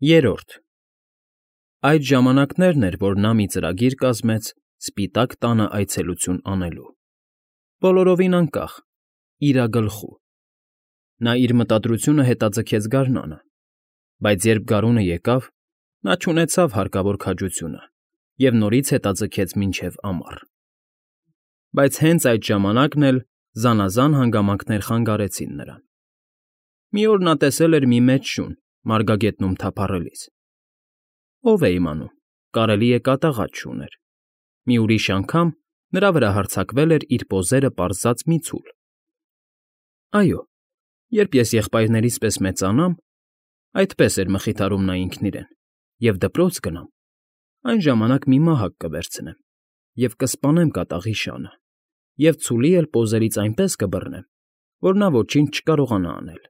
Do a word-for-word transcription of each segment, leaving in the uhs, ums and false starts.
Երրորդ Այդ ժամանակներն էր, որ նա մի ծրագիր կազմեց Սպիտակ Տանը այցելություն անելու, բոլորովին անկախ, իրագլխու. նա իր մտադրությունը հետաձգեց գարնանը, բայց երբ գարունը եկավ, նա չունեցավ հարկավոր քաջությունը և նորից հետաձգեց մինչև ամառ. Բայց հենց այդ ժամանակն էլ զանազան հանգամանքներ խանգարեցին նրան. Մի օր նա տեսել էր մի մեծ շուն մարգագետնում թափառելիս. ով է իմանում, կարելի է կատաղած շուն էր, մի ուրիշ անգամ նրա վրա հարձակվել էր իր պոզերը պարզած մի ցուլ. այո, երբ ես եղբայրներիս պես մեծանամ, այդպես էր մխիթարում նա ինքն իրեն, և դպրոց գնամ, այն ժամանակ մի մահակ կվերցնեմ և կսպանեմ կատաղի շանը և ցուլի էլ պոզերից այնպես կբռնեմ, որ նա ոչինչ չկարողանա անել։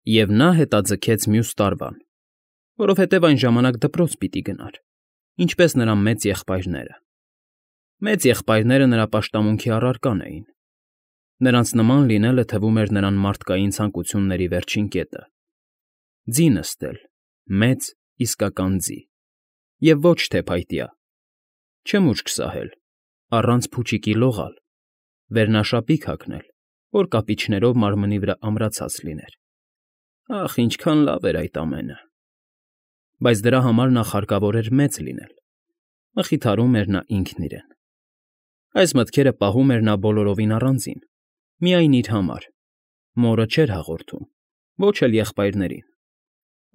Եվ նա հետաձգեց մյուս տարվան, որովհետև այն ժամանակ դպրոց պիտի գնար, ինչպես նրա մեծ եղբայրները. մեծ եղբայրները նրա պաշտամունքի առարկան էին. նրանց նման լինելը թվում էր նրան մարդկային ցանկությունների վերջին կետը, ձի նստել, մեծ, իսկական ձի, և ոչ թե փայտյա, չմուշկ սահել, առանց փուչիկի լողալ, վերնաշապիկ հագնել, որ կապիչներով մարմնի վրա ամրացած լիներ. ախ, ինչքան լավ էր այդ ամենը։ Բայց դրա համար նախ հարկավոր էր մեծ լինել, մխիթարում էր նա ինքն իրեն։ Այս մտքերը պահում էր նա բոլորովին առանձին, միայն իր համար, մորը չէր հաղորդում, ոչ էլ եղբայրներին.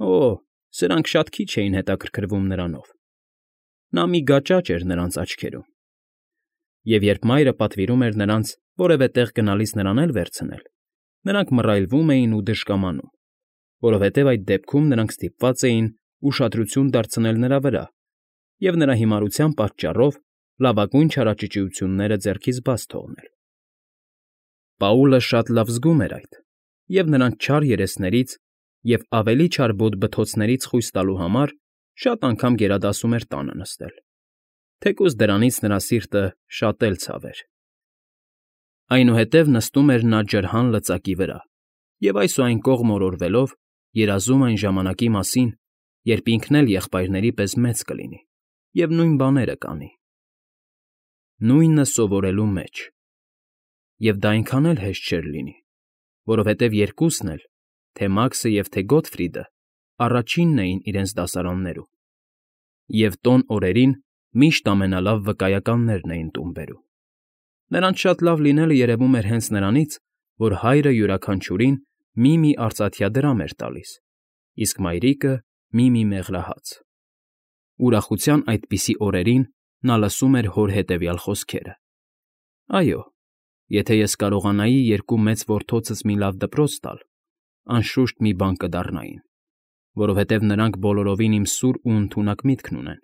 օ, սրանք շատ քիչ էին հետաքրքրվում նրանով, նա մի գաճաճ էր նրանց աչքերում։ Եվ երբ մայրը պատվիրում էր նրանց որևէ տեղ գնալիս նրան էլ վերցնել, նրանք մռայլվում էին ու դժկամանում, որովհետև այդ դեպքում նրանք ստիպված էին ուշադրություն դարձնել նրա վրա և նրա հիմարության պատճառով լավագույն չարաճճիությունները ձեռքից բաց թողնել։ Պաուլը շատ լավ զգում էր այդ և նրանց չար երեսներից և ավելի չար բոտ֊բթոցներից խույս տալու համար շատ անգամ գերադասում էր տանը նստել, թեկուզ դրանից նրա սիրտը շատ էլ ցավ էր։ Այնուհետև նստում էր նա ջրհան լծակի վրա և այս ու այն կողմ օրորվելով երազում այն ժամանակի մասին, երբ ինքն էլ եղբայրների պես մեծ կլինի և նույն բաները կանի։ Նույնը սովորելու մեջ։ Եվ դա այնքան էլ հեշտ չէր լինի, որովհետև երկուսն էլ, թե Մաքսը և թե Գոտֆրիդը, առաջինն էին իրենց դասարաններում, և տոն օրերին միշտ ամենալավ վկայականներն էին տուն բերում։ Նրանց շատ լավ լինելը երևում էր հենց նրանից, որ հայրը յուրաքանչյուրին մի֊մի արծաթյա դրամ էր տալիս, իսկ մայրիկը մի֊մի մեղրահաց։ Ուրախության այդպիսի օրերին նա լսում էր հոր հետևյալ խոսքերը. «Այո, եթե ես կարողանայի երկու մեծ որդոցս մի լավ դպրոց տալ, անշուշտ մի բան կդառնային, որովհետև նրանք բոլորովին իմ սուր ու ընդունակ միտքն ունեն,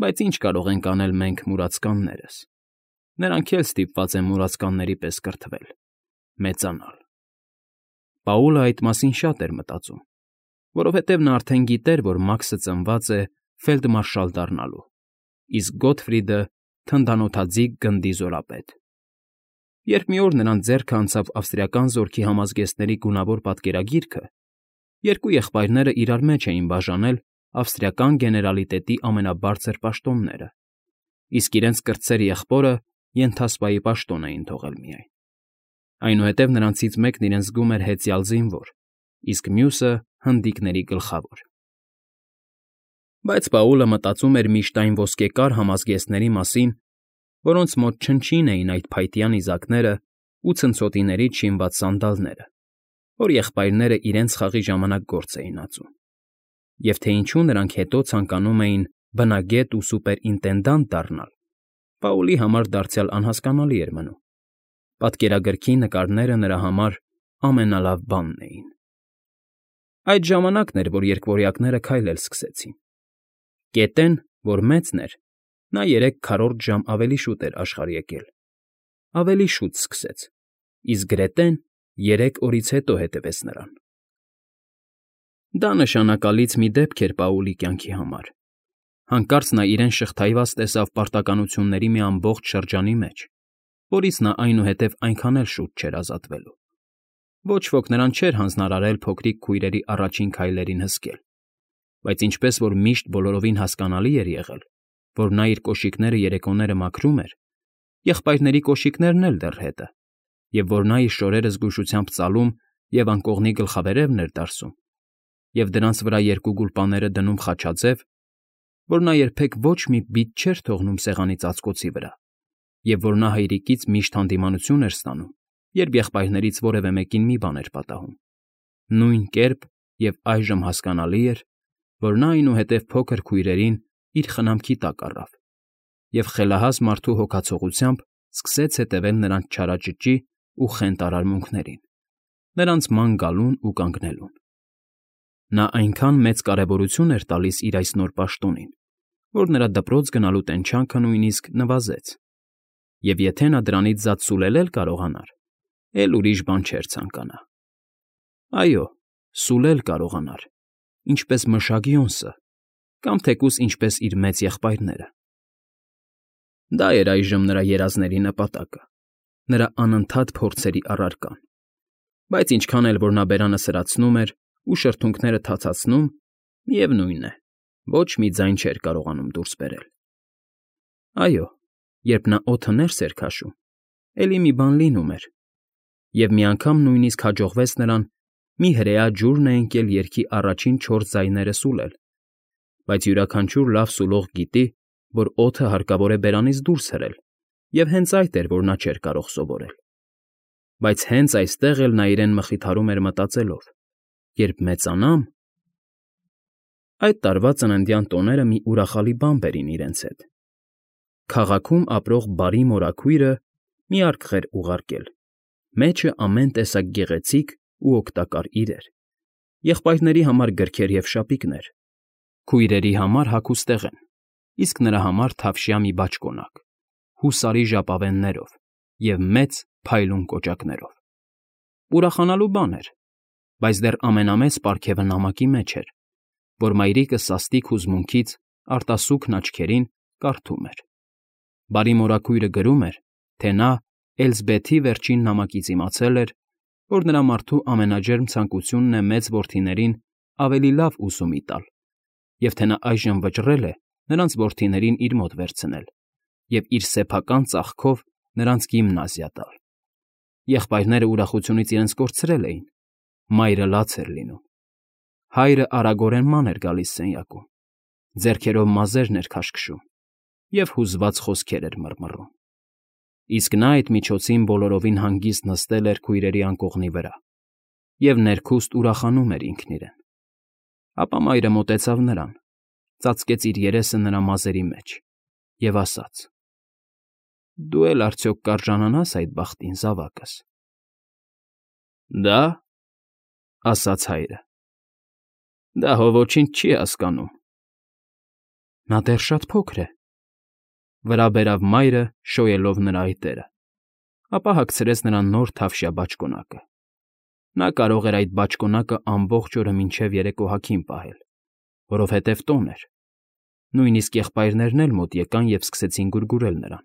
բայց ինչ կարող ենք անել մենք մուրացկաններս, նրանք էլ ստիպված են մուրացկանների պես կրթվել, մեծանալ»։ Պաուլը այդ մասին շատ էր մտածում, որովհետև նա արդեն գիտեր, որ Մաքսը ծնված է ֆելդմարշալ դառնալու, իսկ Գոտֆրիդը թնդանոթաձիգ գնդի զորապետ։ Երբ մի օր նրանց ձեռքը անցավ ավստրիական զորքի համազգեստների գունավոր պատկերագիրքը, երկու եղբայրները իրար մեջ էին բաժանել ավստրիական գեներալիտետի ամենաբարձր պաշտոնները, իսկ իրենց կրտսեր եղբորը ենթասպայի պաշտոն էին թողել միայն։ Այնուհետև նրանցից մեկն իրեն զգում էր հեծյալ զինվոր, իսկ մյուսը հնդիկների գլխավոր։ Բայց Պաուլը մտածում էր միշտ այն ոսկեկար համազգեստների մասին, որոնց մոտ չնչին էին այդ փայտյա նիզակներն ու ցնցոտիներից շինված սանդալները, որ եղբայրները իրենց խաղի ժամանակ գործ էին ածում, և թե ինչու նրանք հետո ցանկանում էին բնագետ ու սուպերինտենդանտ դառնալ, Պաուլի համար դարձյալ անհասկանալի էր մնում։ Պատկերագրքի նկարները նրա համար ամենալավ բանն էին։ Այդ ժամանակն էր, որ երկվորյակները քայլել սկսեցին։ Կետեն, որ մեծն էր, նա երեք քառորդ ժամ ավելի շուտ էր աշխարհ եկել, ավելի շուտ սկսեց, իսկ Գրետեն երեք օրից հետո հետևեց նրան։ Դա նշանակալից մի դեպք էր Պաուլի կյանքի համար։ Հանկարծ նա իրեն շղթայված տեսավ պարտականությունների մի ամբողջ շրջանի մեջ, որից նա այնուհետև այնքան էլ շուտ չէր ազատվելու։ Ոչ ոք նրան չէր հանձնարարել փոքրիկ քույրերի առաջին քայլերին հսկել, բայց ինչպես որ միշտ բոլորովին հասկանալի էր եղել, որ նա իր կոշիկները երեկոները մաքրում էր, եղբայրների կոշիկներն էլ դեռ հետը, և որ նա իր շորերը զգուշությամբ ծալում և անկողնի գլխավերևն էր դարսում, և դրանց վրա երկու գուլպաները դնում խաչաձև, որ նա երբեք ոչ մի բիծ չէր թողնում սեղանի ծածկոցի վրա, և որ նա հայրիկից միշտ հանդիմանություն էր ստանում, երբ եղբայրներից որևէ մեկին մի բան էր պատահում, նույն կերպ և այժմ հասկանալի էր, որ նա այնուհետև փոքր քույրերին իր խնամքի տակ առավ և խելահազ մարդու հոգացողությամբ սկսեց հետևել նրանց չարաճճի ու խենթ արարմունքներին, նրանց ման գալուն ու կանգնելուն։ Նա այնքան մեծ կարևորություն էր տալիս իր այս նոր պաշտոնին, որ նրա դպրոց գնալու տենչանքը նույնիսկ նվազեց, և եթե նա դրանից զատ սուլել էլ կարողանար, էլ ուրիշ բան չէր ցանկանա։ Այո, սուլել կարողանար, ինչպես մշակիոնսը կամ թեկուզ ինչպես իր մեծ եղբայրները։ Դա էր այժմ նրա երազների նպատակը, նրա անընդհատ փորձերի առարկան, բայց ինչքան էլ որ նա բերանը սրացնում էր ու շրթունքները թացացնում, միևնույն է, ոչ մի ձայն չէր կարողանում դուրս բերել։ Այո, երբ նա օդը ներս էր քաշում, էլի մի բան լինում էր, և մի անգամ նույնիսկ հաջողվեց նրան մի հրեա ջուր նայընկել երգի առաջին չորս ձայները սուլել, բայց յուրաքանչյուր լավ սուլող գիտի, որ օդը հարկավոր է բերանից դուրս հրել, և հենց այդ էր, որ նա չէր կարող սովորել։ Բայց հենց այստեղ էլ նա իրեն մխիթարում էր մտածելով. երբ մեծանամ… Այդ տարվա ծննդյան տոները մի ուրախալի բան բերին իրենց հետ. քաղաքում ապրող բարի մորաքույրը մի արկղ էր ուղարկել, մեջը ամեն տեսակ գեղեցիկ ու օգտակար իրեր, եղբայրների համար գրքեր և շապիկներ, քույրերի համար հագուստեղեն, իսկ նրա համար թավշյա մի բաճկոնակ, հուսարի ժապավեններով և մեծ փայլուն կոճակներով։ Ուրախանալու բան էր, բայց դեռ ամենամեծ պարգևը նամակի մեջ էր, որ մայրիկը սաստիկ հուզմունքից արտասուքն աչքերին կարդում էր։ Բարի մորաքույրը գրում էր, թե նա Էլզբեթի վերջին նամակից իմացել էր, որ նրա մարդու ամենաջերմ ցանկությունն է մեծ որդիներին ավելի լավ ուսումի տալ, և թե նա այժմ վճռել է նրանց որդիներին իր մոտ վերցնել և իր սեփական ծախքով նրանց գիմնազիա տալ։ Եղբայրները ուրախությունից իրենց կորցրել էին, մայրը լաց էր լինում, հայրը արագորեն ման էր գալիս սենյակում, ձեռքերով մազերն էր քաշքշում և հուզված խոսքեր էր մռմռում, իսկ նա այդ միջոցին բոլորովին հանգիստ նստել էր քույրերի անկողնի վրա և ներքուստ ուրախանում էր ինքն իրեն։ Ապա մայրը մոտեցավ նրան, ծածկեց իր երեսը նրա մազերի մեջ և ասաց. «Դու էլ արդյոք կարժանանա՞ս այդ բախտին, զավակս»։ «Դա՞, ֊ ասաց հայրը, ֊ դա հո ոչինչ չի հասկանում»։ «Նա դեռ շատ փոքր է», ֊ վրա բերավ մայրը՝ շոյելով նրա այտերը, ապա հագցրեց նրան նոր թավշյա բաճկոնակը։ Նա կարող էր այդ բաճկոնակը ամբողջ օրը մինչև երեկո հագին պահել, որովհետև տոն էր։ Նույնիսկ եղբայրներն էլ մոտ եկան և սկսեցին գուրգուրել նրան,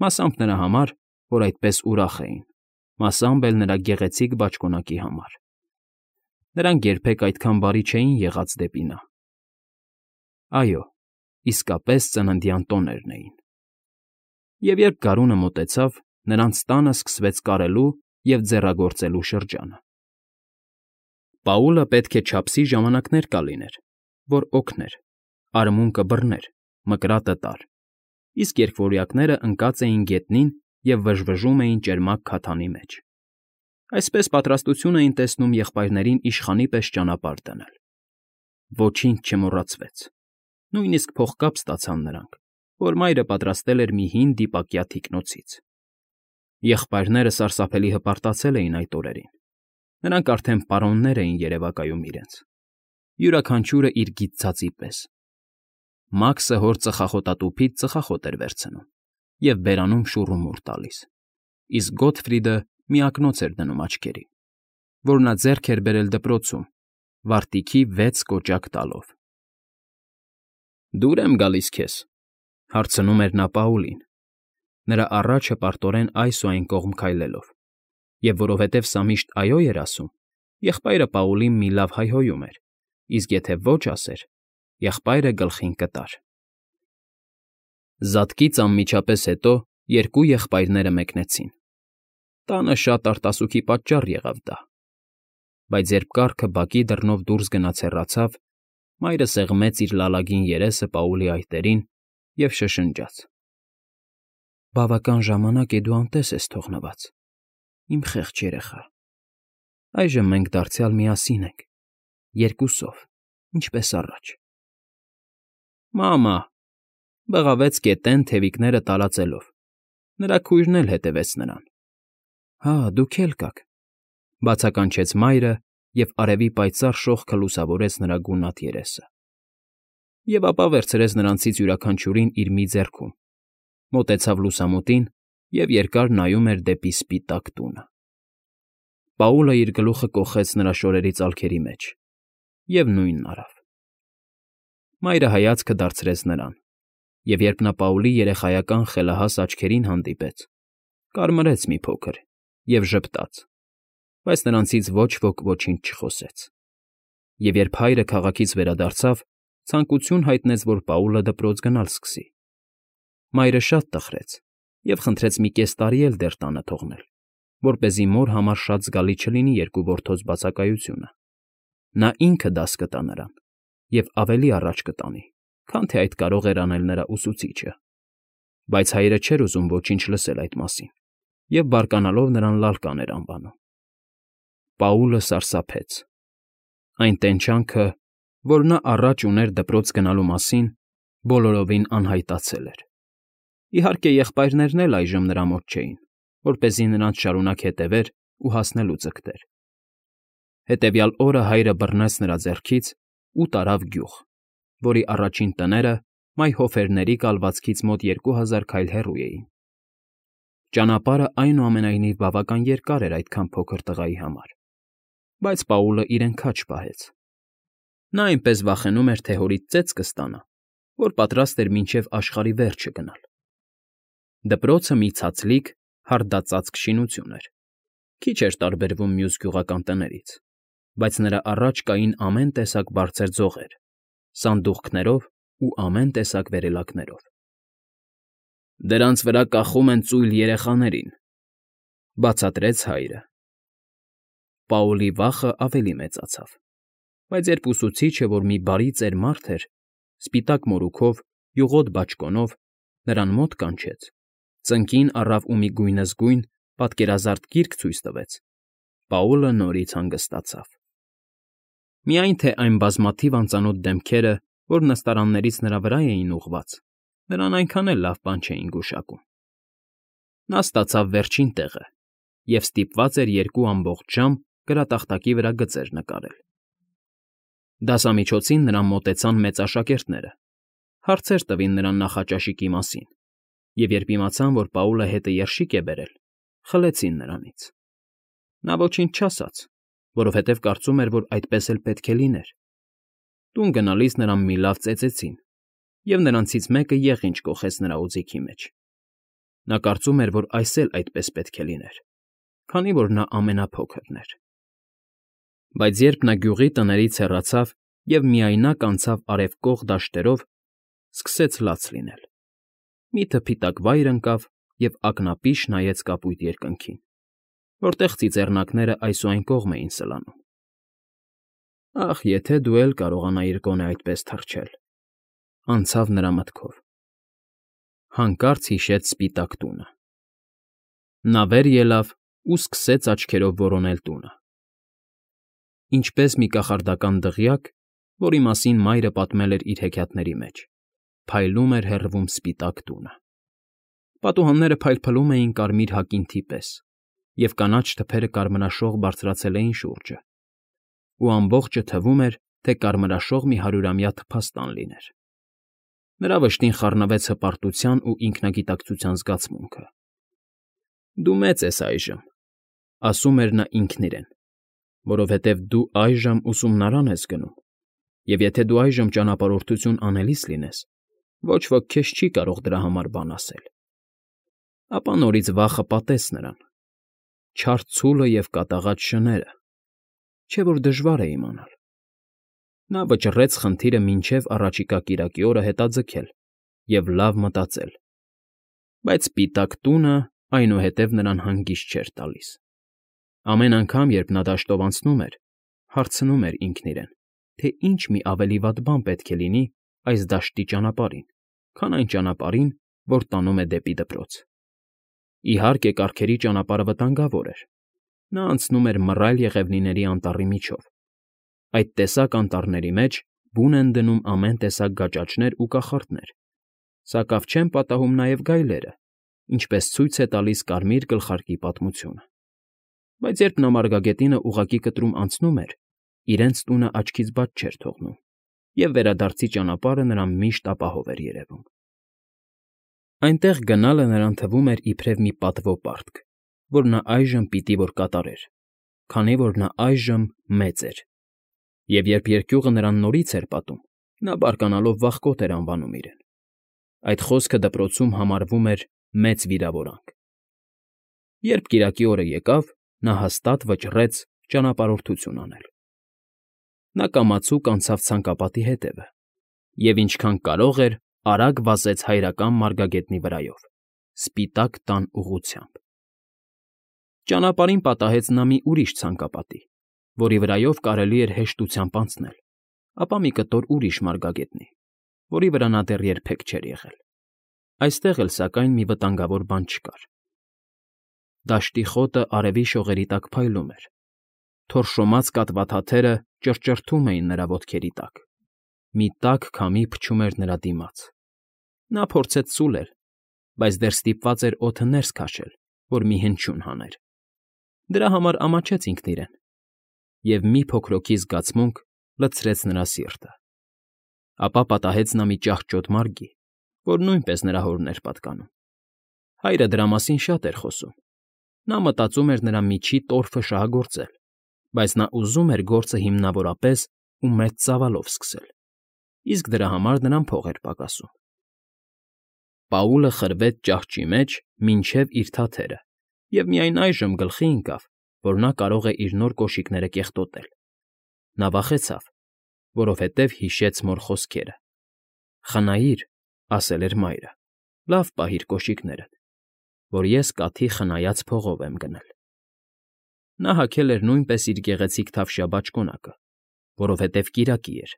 մասամբ նրա համար, որ այդպես ուրախ էին, մասամբ էլ նրա գեղեցիկ բաճկոնակի համար։ Նրանք երբեք այդքան բարի չէին եղած դեպի նա։ Այո, իսկապես ծննդյան տոներն էին։ Եվ երբ գարունը մոտեցավ, նրանց տանը սկսվեց կարելու և ձեռագործելու շրջանը։ Պաուլը պետք է չափսի ժամանակներ կլիներ, որ օգներ, արմունկը բռներ, մկրատը տար, իսկ երկվորյակները ընկած էին գետնին և վժվժում էին ճերմակ քաթանի մեջ։ Այսպես պատրաստություն էին տեսնում եղբայրներին իշխանի պես ճանապարհ դնել։ Ոչինչ չմոռացվեց, նույնիսկ փողկապ ստացան նրանք, որ մայրը պատրաստել էր մի հին դիպակյա թիկնոցից։ Եղբայրները սարսափելի հպարտացել էին այդ օրերին, նրանք արդեն պարոններ էին երևակայում իրենց, յուրաքանչյուրը իր գիծ ձածի պես։ Մաքսը հոր ծխախոտատուփից ծխախոտ էր վերցնում և բերանում շուռումուռ տալիս, իսկ Գոտֆրիդը մի ակնոց էր դնում աչքերին, որ նա ձեռք էր բերել դպրոցում, վարտիքի վեց կոճակ տալով։ «Դուր եմ գալիս քեզ», ֊ հարցնում էր նա Պաուլին, նրա առաջը պարտորեն այս ու այն կողմ քայլելով։ Եվ որովհետև սա միշտ այո էր ասում, եղբայրը Պաուլին մի լավ հայհոյում էր, իսկ եթե ոչ ասեր, եղբայրը գլխին կտար։ Զատկից անմիջապես հետո երկու եղբայրները մեկնեցին։ Տանը շատ արտասուքի պատճառ եղավ դա։ Բայց երբ կառքը բակի դռնով դուրս գնաց հեռացավ, մայրը սեղմեց իր լալագին երեսը Պաուլի այտերին և շշնջաց. «Բավական ժամանակ է դու անտես ես թողնված, իմ խեղճ երեխա, այժմ մենք դարձյալ միասին ենք, երկուսով, ինչպես առաջ»։ Մամա,֊ բղավեց գետեն, թևիկները տարածելով, նրա քույրն էլ հետևեց նրան։ Հա, դուք էլ կաք,֊ բացականչեց մայրը և արևի պայծառ շողքը լուսավորեց նրա գունատ երեսը։ Եվ ապա վերցրեց նրանցից յուրաքանչյուրին իր մի ձեռքում, մոտեցավ լուսամուտին և երկար նայում էր դեպի սպիտակ տունը։ Պաուլը իր գլուխը կոխեց նրա շորերի ծալքերի մեջ և նույնն արավ։ Մայրը հայացքը դարձրեց նրան, և երբ նա Պաուլի երեխայական խելահաս աչքերին հանդիպեց, կարմրեց մի փոքր և ժպտաց, բայց նրանցից ոչ ոք ոչինչ չխոսեց։ Եվ երբ հայրը քաղաքից վերադարձավ, ցանկություն հայտնեց, որ Պաուլը դպրոց գնալ սկսի։ Մայրը շատ տխրեց և խնդրեց մի կես տարի էլ դեռ տանը թողնել, որպեսզի մոր համար շատ զգալի չլինի երկու որդոց բացակայությունը։ Նա ինքը դաս կտա նրան և ավելի առաջ կտանի, քան թե այդ կարող էր անել նրա ուսուցիչը։ Բայց հայրը չէր ուզում ոչինչ լսել այդ մասին և բարկանալով նրան Լալկան էր անվանում։ Պաուլը սարսափեց։ Այն տենչանքը, որ նա առաջ ուներ դպրոց գնալու մասին, բոլորովին անհայտացել էր։ Իհարկե, եղբայրներն էլ այժմ նրա մոտ չէին, որպեսզի նրանց շարունակ հետևեր ու հասնելու ձգտեր։ Հետևյալ օրը հայրը բռնեց նրա ձեռքից ու տարավ գյուղ, որի առաջին տները մայհոֆերների կալվածքից մոտ երկու հազար քայլ հեռու էին։ Ճանապարհը այնուամենայնիվ բավական երկար էր այդքան փոքր տղայի համար, բայց Պաուլը իրեն քաջ պահեց։ Նա այնպես վախենում էր, թե հորից ծեծ կստանա, որ պատրաստ էր մինչև աշխարհի վերջը գնալ։ Դպրոցը մի ցածլիկ, հարդածածկ շինություն էր, քիչ էր տարբերվում մյուս գյուղական տներից, բայց նրա առաջ կային ամեն տեսակ բարձր ձողեր, սանդուղքներով ու ամեն տեսակ վերելակներով։ «Դրանց վրա կախում են ծույլ երեխաներին,֊ բացատրեց հայրը։ Պաուլի վախը ավելի մեծացավ, բայց երբ ուսուցիչը, որ մի բարի ծեր մարդ էր, սպիտակ մորուքով, յուղոտ բաճկոնով, նրան մոտ կանչեց, ծնկին առավ ու մի գույնզգույն, պատկերազարդ գիրք ցույց տվեց, Պաուլը նորից հանգստացավ։ Միայն թե այն բազմաթիվ անծանոթ դեմքերը, որ նստարաններից նրա վրա էին ուղղված, նրան այնքան էլ լավ բան չէին գուշակում։ Նա ստացավ վերջին տեղը և ստիպված էր երկու ամբողջ ժամ գրատախտակի վրա գծեր նկարել։ Դասամիջոցին նրան մոտեցան մեծ աշակերտները, հարցեր տվին նրան նախաճաշիկի մասին, և երբ իմացան, որ Պաուլը հետը երշիկ է բերել, խլեցին նրանից։ Նա ոչինչ չասաց, որովհետև կարծում էր, որ այդպես էլ պետք է լիներ։ Տուն գնալիս նրան մի լավ ծեծեցին, և նրանցից մեկը եղինջ կոխեց նրա օձիքի մեջ։ Նա կարծում էր, որ այս էլ այդպես պետք է լիներ, քանի որ նա ամենափոքրն էր։ Բայց երբ նա գյուղի տներից հեռացավ և միայնակ անցավ արևկող դաշտերով, սկսեց լաց լինել։ Մի թփիտակ վայր ընկավ և ակնապիշ նայեց կապույտ երկնքին, որտեղ ծիծեռնակները այս ու այն կողմ էին սլանում։ «Ախ, եթե դու էլ կարողանայիր գոնե այդպես թռչել,֊ անցավ նրա մտքով։ Հանկարծ հիշեց սպիտակ տունը։ Նա վեր ելավ ու սկսեց աչքերով որոնել տունը։ Ինչպես մի կախարդական դղյակ, որի մասին մայրը պատմել էր իր հեքիաթների մեջ, փայլում էր հեռվում սպիտակ տունը։ Պատուհանները փայլփլում էին կարմիր հակինթի պես, և կանաչ թփերը կարմրաշող բարձրացել էին շուրջը, ու ամբողջը թվում էր, թե կարմրաշող մի հարյուրամյա թփաստան լիներ։ Նրա վշտին խառնվեց հպարտության ու ինքնագիտակցության զգացմունքը։ «Դու մեծ ես այժմ,֊ ասում էր նա ինքն իրեն,֊ որովհետև դու այժմ ուսումնարան ես գնում, և եթե դու այժմ ճանապարհորդություն անելիս լինես, ոչ ոք քեզ չի կարող դրա համար բան ասել»։ Ապա նորից վախը պատեց նրան։ չար ցուլը և կատաղած շները, չէ՞ որ դժվար է իմանալ։ Նա վճռեց խնդիրը մինչև առաջիկա կիրակի օրը հետաձգել և լավ մտածել, բայց սպիտակ տունը այնուհետև նրան հանգիստ չէր տալիս։ Ամեն անգամ, երբ նա դաշտով անցնում էր, հարցնում էր ինքն իրեն, թե ինչ մի ավելի վատ բան պետք է լինի այս դաշտի ճանապարհին, քան այն ճանապարհին, որ տանում է դեպի դպրոց։ Իհարկե, կառքերի ճանապարհը վտանգավոր էր։ Նա անցնում էր մռայլ եղևնիների անտառի միջով։ Այդ տեսակ անտառների մեջ բուն են դնում ամեն տեսակ գաճաճներ ու կախարդներ, սակավ չեն պատահում նաև գայլերը, ինչպես ցույց է տալիս կարմիր գլխարկի պատմությունը։ Բայց երբ նա մարգագետինը ուղղակի կտրում անցնում էր, իրենց տունը աչքից բաց չէր թողնում, և վերադարձի ճանապարհը նրան միշտ ապահով էր երևում։ Այնտեղ գնալը նրան թվում էր իբրև մի պատվո պարտք, որ նա այժմ պիտի որ կատարեր, քանի որ նա այժմ մեծ էր, և երբ երկյուղը նրան նորից էր պատում, նա բարկանալով վախկոտ էր անվանում իրեն։ Այդ խոսքը դպրոցում համարվում էր մեծ վիրավորանք։ Երբ կիրակի օրը եկավ, նա հաստատ վճռեց ճանապարհորդություն անել։ Նա կամացուկ անցավ ցանկապատի հետևը և ինչքան կարող էր արագ վազեց հայրական մարգագետնի վրայով, սպիտակ տան ուղղությամբ։ Ճանապարհին պատահեց նա մի ուրիշ ցանկապատի, որի վրայով կարելի էր հեշտությամբ անցնել, ապա մի կտոր ուրիշ մարգագետնի, որի վրա նա դեռ երբեք չէր եղել։ Այստեղ էլ, սակայն, մի վտանգավոր բան չկար։ Դաշտի խոտը արևի շողերի տակ փայլում էր, թորշոմած կատվաթաթերը ճռճռթում էին նրա ոտքերի տակ, մի տաք քամի փչում էր նրա դիմաց։ Նա փորձեց սուլել, բայց դեռ ստիպված էր օդը ներս քաշել, որ մի հնչյուն հաներ։ Դրա համար ամաչեց ինքն իրեն, և մի փոքրոքի զգացմունք լցրեց նրա սիրտը։ Ապա պատահեց նա մի ճահճոտ մարգի, որ նույնպես նրա հորն էր պատկանում։ Հայրը դրա մասին շատ էր խոսում։ Նա մտածում էր նրա միջի տորֆը շահագործել, բայց նա ուզում էր գործը հիմնավորապես ու մեծ ծավալով սկսել, իսկ դրա համար նրան փող էր պակասում։ Պաուլը խրվեց ճահճի մեջ մինչև իր թաթերը և միայն այժմ գլխի ընկավ, որ նա կարող է իր նոր կոշիկները կեղտոտել։ Նա վախեցավ, որովհետև հիշեց մոր խոսքերը. «Խնայիր,֊ ասել էր մայրը,֊ լավ պահիր կոշիկներդ, որ ես կաթի խնայած փողով եմ գնել»։ Նա հագել էր նույնպես իր գեղեցիկ թավշյա բաճկոնակը, որովհետև կիրակի էր։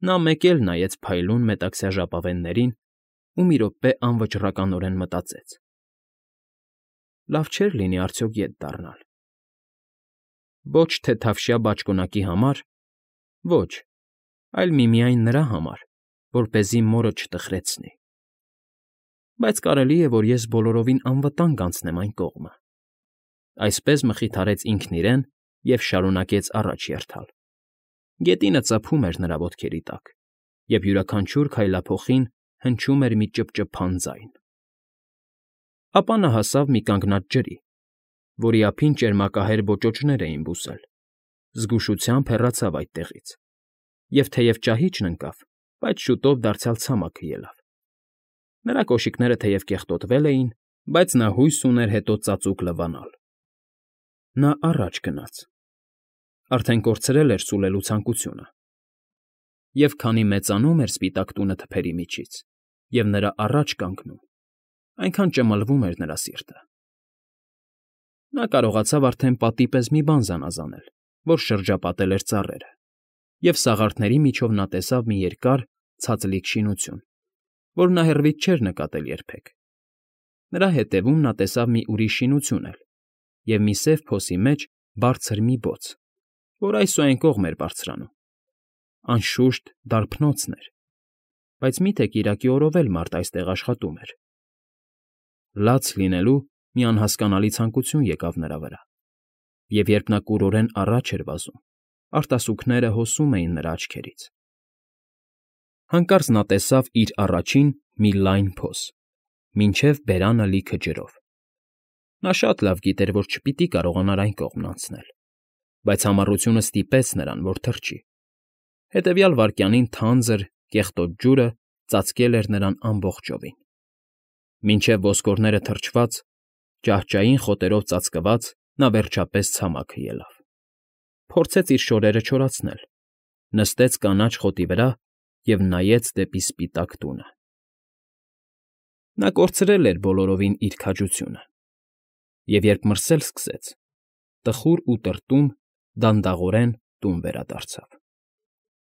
Նա մեկ էլ նայեց փայլուն մետաքսյա ժապավեններին ու մի րոպե անվճռականորեն մտածեց. «Լավ չէր լինի արդյոք ետ դառնալ։ Ոչ թե թավշյա բաճկոնակի համար, ոչ, այլ միմիայն նրա համար, որպեսզի մորը չտխրեցնի։ Բայց կարելի է, որ ես բոլորովին անվտանգ անցնեմ այն կողմը»։ Այսպես մխիթարեց ինքն իրեն և շարունակեց առաջ երթալ։ Գետինը ծափում էր նրա ոտքերի տակ, և յուրաքանչյուր քայլափոխին հնչում էր մի ճփճփան ձայն։ Ապա նա հասավ մի կանգնած ջրի, որի ափին ճերմակահեր ոճոճներ էին բուսել, զգուշությամբ հեռացավ այդտեղից, և թեև ճահիճն ընկավ, բայց շուտով դարձյալ ցամաքը ելավ։ Նրա կոշիկները թեև կեղտոտվել էին, բայց նա հույս ուներ հետո ծածուկ լվանալ։ Նա առաջ գնաց։ Արդեն կորցրել էր սուլելու ցանկությունը։ Եվ քանի մեծանում էր սպիտակ տունը թփերի միջից, և նրա առաջ կանգնում, այնքան ճմլվում էր նրա սիրտը։ Նա կարողացավ արդեն պատի պես մի բան զանազանել, որ շրջապատել էր ծառերը, և սաղարթների միջով նա տեսավ մի երկար, ցածլիկ շինություն, որ նա հեռվից չէր նկատել երբեք։ Նրա հետևում նա տեսավ մի ուրիշ շինություն էլ և մի սև փոսի մեջ բարձր մի բոց, որ այս ու այն կողմ էր բարձրանում։ Անշուշտ, դարբնոցն էր, բայց մի՞թե կիրակի օրով էլ մարդ այստեղ աշխատում էր։ Լաց լինելու մի անհասկանալի ցանկություն եկավ նրա վրա, և երբ նա կուրորեն առաջ էր վազում, արտասուքները հոսում էին նրա աչքերից։ Հանկարծ նա տեսավ իր առաջին մի լայն փոս, մինչև բերանը լիքը ջրով։ Նա շատ լավ գիտեր, որ չպիտի կարողանար այն կողմն անցնել, բայց համառությունը ստիպեց նրան, որ թռչի։ Հետևյալ վայրկյանին թանձր, կեղտոտ ջուրը ծածկել էր նրան ամբողջովին։ Մինչև ոսկորները թրջված, ճահճային խոտերով ծածկված, նա վերջապես ցամաքը ելավ, փորձեց իր շորերը չորացնել, նստեց կանաչ խոտի վրա և նայեց դեպի սպիտակ տունը. նա կորցրել էր բոլորովին իր քաջությունը և, երբ մրսել սկսեց, տխուր ու տրտում, դանդաղորեն տուն վերադարձավ։